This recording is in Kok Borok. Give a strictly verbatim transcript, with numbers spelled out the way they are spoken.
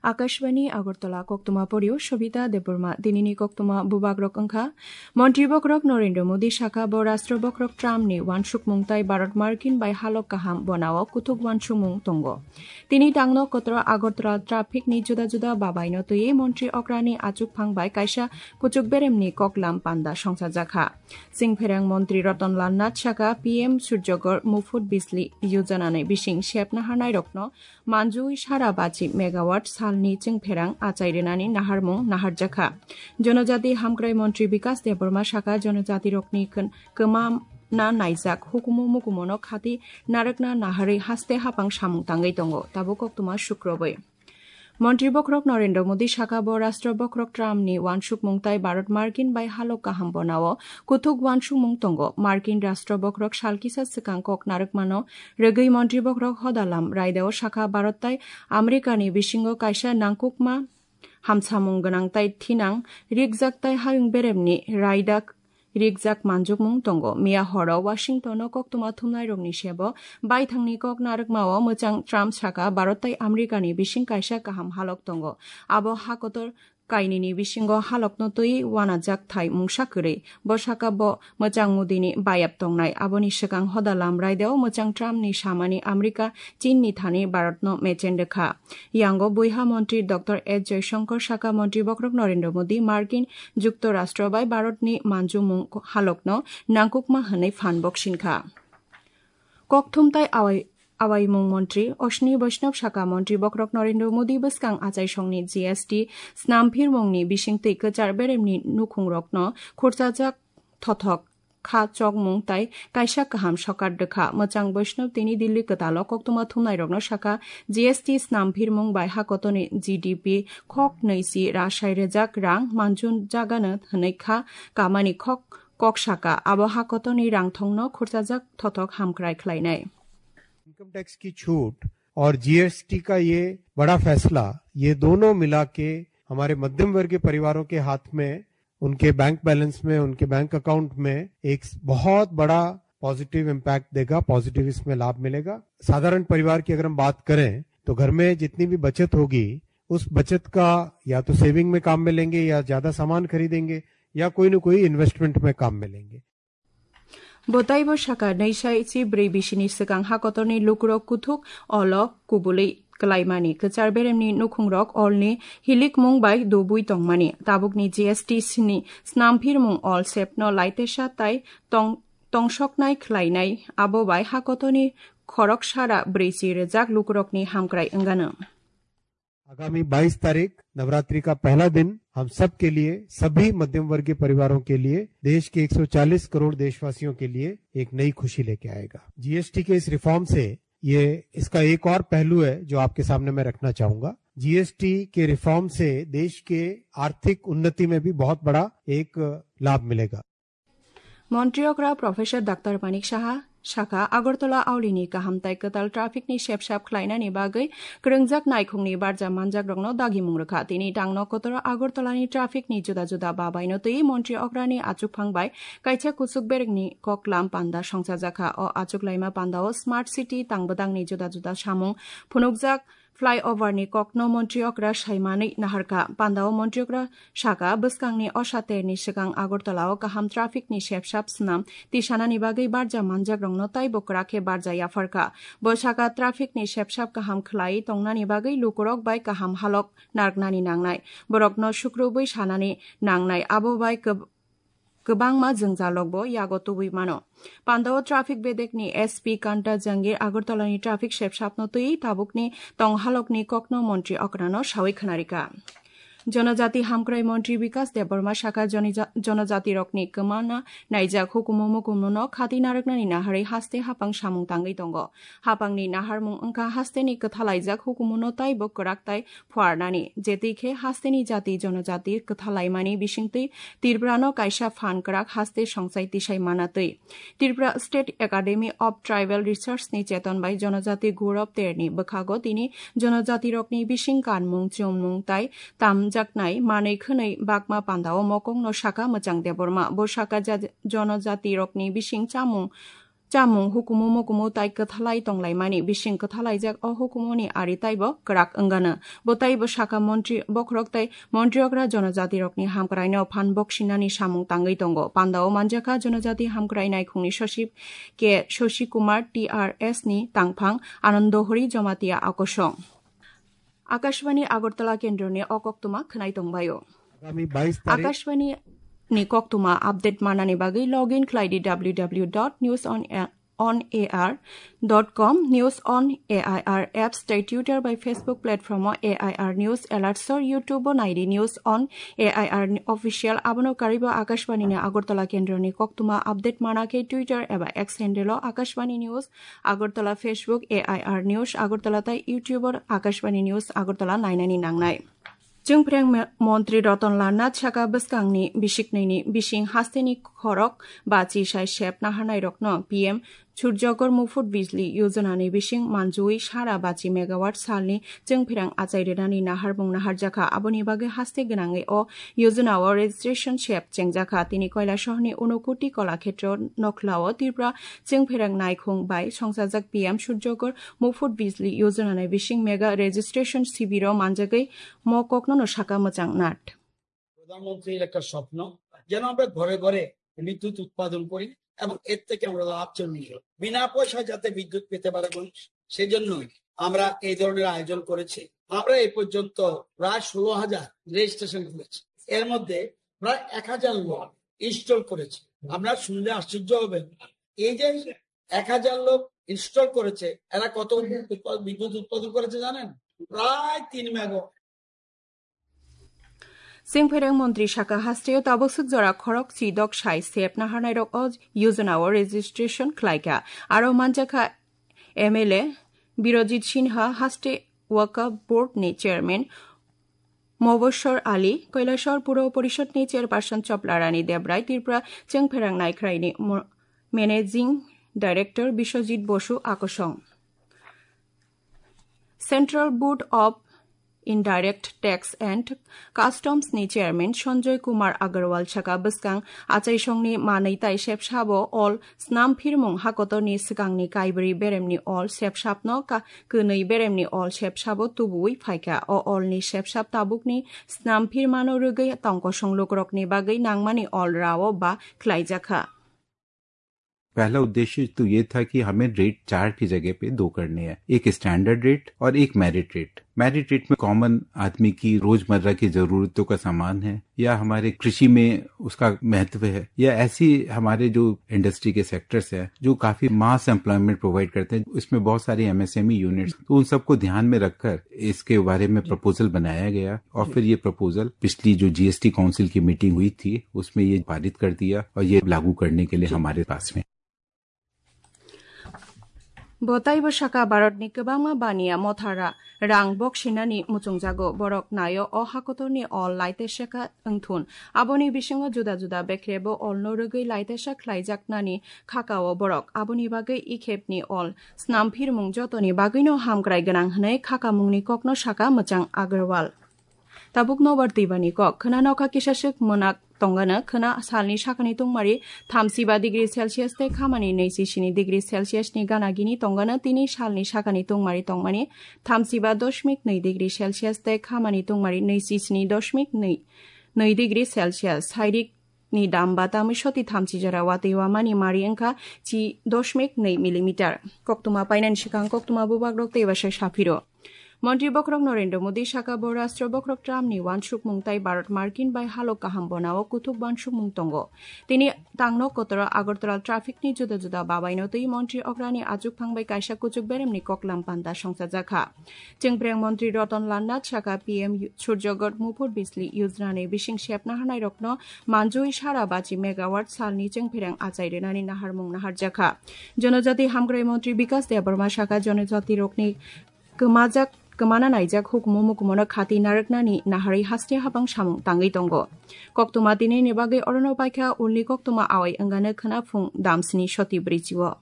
Akashbani Agartala, koktwma porio Sobita Debbarma. Tinini koktwma bubagrok wngkha: Montri bokrok Narendra Modi saka bo Rashtra bokrok Trump ni wansukmung tai Bharat Markin bai halok kaham bonao kuthuk wansukmung tongo. Tini tangno kotoro Agartala traffic ni juda juda babai no twiwi montri okrani achukphang bai kaisa kuchuk beremni koklam panda songchajakha. Chingpherang montri Ratan Lal Nath saka P M Surjagor Mufut Bijli Yojana ni bising sepna hanairokno manjui sara bachi megawatt salni chingpherang achai rwnani naharmung naharjakha. Jonojati hamkrai montri Bikas Debbarma saka jonojatirokni kwn-, kwmamna naijak hukumu mukumono khati narwkna naharwi haste hapang samung tangwi tongo, tabuk koktwma sukrobwi. Montri bokhorok Narendra Modi saka bo Rashtra bokhorok Trump ni wansukmung tai Bharat Markin bai halok kaham bonao kuthuk wansukmung tongo. Markin Rashtra bokhorok sal kisa swkang kok narwkmano rwgwi montri bokhorok hodalam raidao saka Bharat tai America ni bisingo kaisa nangkukma hamsamung gwnang tai thinang rikjak tai hayung beremni raida rikjak manjukmung tongo. Miya horo Washington o koktwma thumnairokni sebo baithangni kok narwkmao mwchang Trump saka Bharat tai America ni bising kaisa kaham halok tongo. Abo hakotor kainini bisingo halokno twi wanajak thai mungsa kwrwi. Bo saka bo mwchang Modi ni bayap tongnai. Aboni swkang hoda lam raideo mwchang Trump ni samani America Chin ni thani Bharat no mechen rwkha. Yango buiha montri Doctor S Jaishankar saka montri bokhorok Narendra Modi Markin Juktorashtra bai Bharat ni manjumung halokno nangkukma hwnwi phan boksinkha. Kokthum tai awai-, awaimung montri Ashwini Vaishnav saka montri bokhorok Narendra Modi bwskang achaisongni G S T snamphirmungni bisingtwi kwchar beremni nukhungrokno khurchajak thothok kha chokmung tai kaisa kaham sokar rwkha. Mwchang Vaishnav tini Delhi kwtalo koktwma thumnairokno saka G S T snamphirmung bai hakotoni G D P khok nwichi rasai rwjak rang manjun jagano hwnwi kha kamani khok kok saka. Abo hakotoni rangthongno khurchajak thothok hamkrai khlainai. Income tax की छूट और जीएसटी का ये बड़ा फैसला, ये दोनों मिला के हमारे मध्यम वर्गीय परिवारों के हाथ में, उनके बैंक बैलेंस में, उनके बैंक अकाउंट में एक बहुत बड़ा पॉजिटिव इम्पैक्ट देगा, पॉजिटिव इसमें लाभ मिलेगा। साधारण परिवार की अगर हम बात करें तो घर में जितनी भी बचत होगी, उस बचत का या तो सेविंग में काम में लेंगे या ज्यादा सामान खरीदेंगे या कोई ना कोई इन्वेस्टमेंट में काम में लेंगे। Bo taibo saka, naisai chi brwi bisini swkang hakotorni lukurok kuthuk olo kubului klaimani, kwchar beremni nukhungrok olni hilikmung bai dubui tongmani, tabukni G S T sini snamphirmung ol sepno laitesa tai tong-, tongsoknai khlainai, abo bai hakotorni khorok sara brwi chi rwjak lukurokni hamkrai wngano. आगामी बाईस तारीख नवरात्रि का पहला दिन हम सब के लिए, सभी मध्यम वर्गीय परिवारों के लिए, देश के एक सौ चालीस करोड़ देशवासियों के लिए एक नई खुशी लेके आएगा। जीएसटी के इस रिफॉर्म से ये, इसका एक और पहलू है जो आपके सामने मैं रखना चाहूंगा। जीएसटी के रिफॉर्म से देश के आर्थिक उन्नति में भी बहुत बड़ा एक लाभ मिलेगा। Montri okra Professor Doctor Manik Saha saka, Agartala aulini kaham tai kwtal traffic ni sepsap khlainani bagwi kwrwngjak naikhungni barja manjakrokno dagimung rwkha. Tini tangno kotoro Agartala ni traffic ni juda juda babaino twi montri okrani achukphang bai kaisa kuchuk berekni koklam panda songchajakha. O achuk laima pandao smart city tangbwdangni juda juda samung phunukjak flyover ni kokno montri okra saimanwi naharkha. Pandao montri okra saka, bwskangni osa terni swkang Agartala o kaham traffic ni sepsap swnam tisanani bagwi barja manjakrokno taibo kwrak khe barja yapharkha. Bo saka, traffic ni sepsap kaham khlai tongnani bagwi lukurok bai kaham halok narwknani nangnai. Borokno sukrubwi sanani nangnai, abo bai kwb-, kwbangma jwngjalokbo yago tubui mano. Pandao traffic bedekni S P Kanta Jangir Agartalani traffic sepsapno twi tabukni tonghalokni kokno montri okrano sawi khwnarikha. Jonojati hamkrai montri Bikas Debbarma saka, jonija-, jonojatirokni kwmana naijak hukumu mukumu no khati narwknani naharwi haste hapang samung tangwi tongo. Hapangni naharmung wngkha hasteni kwthalaijak hukumu no taibo kwrak tai phuarnani, jetwi khe hasteni jati jonojati kwthalaimani bisingtwi Tripura no kaisa phan kwrak haste songsai tisai mana twi. Tripura State Academy of Tribal Research ni cheton bai Jonojati Gaurav Terni bwkhago tini jonojatirokni bising kanmung, chumung tai tamjaknai manwi khwnwi bakma pandao mokokno saka mwchang Debbarma. Bo saka ja-, jonojatirokni bising chamung chamung hukumu mukumu tai kwthalai tonglaimani bising kwthalaijak o hukumuni ari taibo kwrak wngano. Bo taibo saka montri bokhorok tai montriokra jonojatirokni hamkraino phan boksinani samung tangwi tongo. Pandao manjakha jonojati hamkrai naikhungni sosip K Shashi Kumar, T R S ni tangphang Anando Hori Jamatia akosong. Akashbani Agartala kendroni o koktwma khwnai tongbaio. Akashbani ni koktwma update manani bagwi login khlai di W W W dot news on air dot com, News on A I R apps, tei Twitter bai Facebook platform o A I R News Alerts, o YouTube o nai di News on A I R Official. Abono karwibo Akashbani ni Agartala kendroni koktwma update mana khe Twitter eba X handle o Akashbani News Agartala, Facebook A I R News Agartala tei YouTube o Akashbani News Agartala nainani nangnai. Chwngphreng me-, montri Ratan Lal Nath saka bwskangni bisiknwini bising hasteni khorok bachi sai sep naharnairokno P M Surjagor Mufut Bijli Yojana ni bising manjui sara bachi megawatt salni chwngphreng achai rwnani naharmung naharjakha. Aboni bagwi haste gwnangwi o yojana o registration sep chengjakha. Tini Kailasahar ni Unokoti Kolakhetro Nokhlao Tripura chwngphreng naikhung bai songchajak P M Surjagor Mufut Bijli Yojana ni bising mega registration sibiro manjagwi mo kokno no saka mwchang Nath. প্রধানমন্ত্রীর একটা স্বপ্ন, যেন আমরা ঘরে ঘরে বিদ্যুৎ উৎপাদন করি এবং এর থেকে আমরা লাভ চলুন, বিনা পয়সায় যাতে বিদ্যুৎ পেতে পারে মানুষ, সেজন্যই আমরা এই ধরনের আয়োজন করেছি। আমরা এই পর্যন্ত প্রায় ষোলো হাজার রেজিস্ট্রেশন করেছি, এর মধ্যে প্রায় এক হাজার লোক ইনস্টল করেছে। আপনারা শুনলে আশ্চর্য হবেন, এই যে এক হাজার লোক ইনস্টল করেছে, এরা কত উৎপা-, বিদ্যুৎ উৎপাদন করেছে জানেন? প্রায় তিন megawatt. Chwngphereng montri saka hasteo tabuk swk jora khorok si dok sai sep naharnairok o yojana o registration khlaikha. Aro manjakha M L A Birojit Sinha, haste Waqf Board ni chairman Mobashar Ali, Kailasahar Puro Porishod ni chairperson Chopla Rani Debrai, Tripura Chwngphereng Naikhrai ni mo-, managing director Biswajit Bosu akosong. Central Board of Indirect Tax and Customs ni chairman Sanjoy Kumar Agarwal saka bwskang achaisongni manwi tai sepsabo ol snamphirmung hakotorni swkangni kaibrwi beremni ol sepsapno ka-, kwnwi beremni ol sepsabo tubuwi phaikha. O olni sepsap tabukni snamphirmano rwgwi tongkosong lukurokni bagwi nangmani ol rao ba khlaijakha. पहला उद्देश्य तो ये था कि हमें रेट चार की जगह पे दो करने हैं, एक स्टैंडर्ड रेट और एक मेरिट रेट। मेरिट रेट में कॉमन आदमी की रोजमर्रा की जरूरतों का सामान है या हमारे कृषि में उसका महत्व है या ऐसी हमारे जो इंडस्ट्री के सेक्टर्स हैं जो काफी मास एम्प्लॉयमेंट प्रोवाइड करते हैं, इसमें बहुत सारी एमएसएमई यूनिट्स, तो उन सबको ध्यान में रखकर इसके बारे में प्रपोजल बनाया गया और फिर ये प्रपोजल पिछली जो जीएसटी काउंसिल की मीटिंग हुई थी, उसमें ये पारित कर दिया और ये लागू करने के लिए हमारे पास में। Bo taibo saka Bharatni kwbangma baniya mothara rang boksinani muchungjago. Borok naio o hakotorni ol laitesaka wngthun. Aboni bisingo juda juda bekrebo olno rwgwi laitesa khlaijaknani khakao borok. Aboni bagwi ikhepni ol snamphirmung jotoni bagwino hamkrai gwnang hwnwi khakamungni kokno saka mwchang Agarwal. Tabuk nobar twibani kok. Khwna nokha kisa swk mwnak tongano, khwna salni sakani tungmari thamsiba degree Celsius tei khamani naichi sini degree Celsius ni gana gini tongano, tini salni sakani tungmari tongmani thamsiba doshmik nwi degree Celsius tei khamani tungmari naichi sini doshmik nwi, nwi degree Celsius. Sairik ni dam ba tamwi soti thamchi jora watwi wamani mari wngkha chi doshmik nwi millimeter. Koktwma painani swkang koktwma bubagrok tei bwsai saphiro. Montri bokhorok Narendra Modi saka bo rastro bokhorok Trump ni uansukmung tai Bharat Markin bai halok kaham bonao kuthuk uansukmung tongo. Tini tangno kotoro Agartala traffic ni juda juda babaino twi montri okrani achukphang bai kaisa kuchuk beremni koklam panda songchajakha. Chwngphreng montri Ratan Lal Nath saka P M Surjagor Mufut Bijli Yojana ni bising sepna hanairokno manjui sara bachi megawatt salni chwngphreng achai rwnani naharmung naharjakha. Jonojati hamkrai montri Bikas Debbarma saka jonojati rokni kwmajak, kwmana naijak hukumu mukumono khati narwknani naharwi haste habang samung tangwi tongo. Koktwma tinini bagwi orono paikha ulni koktwma awai wngano khwna phung damsni soti bwrwi chio.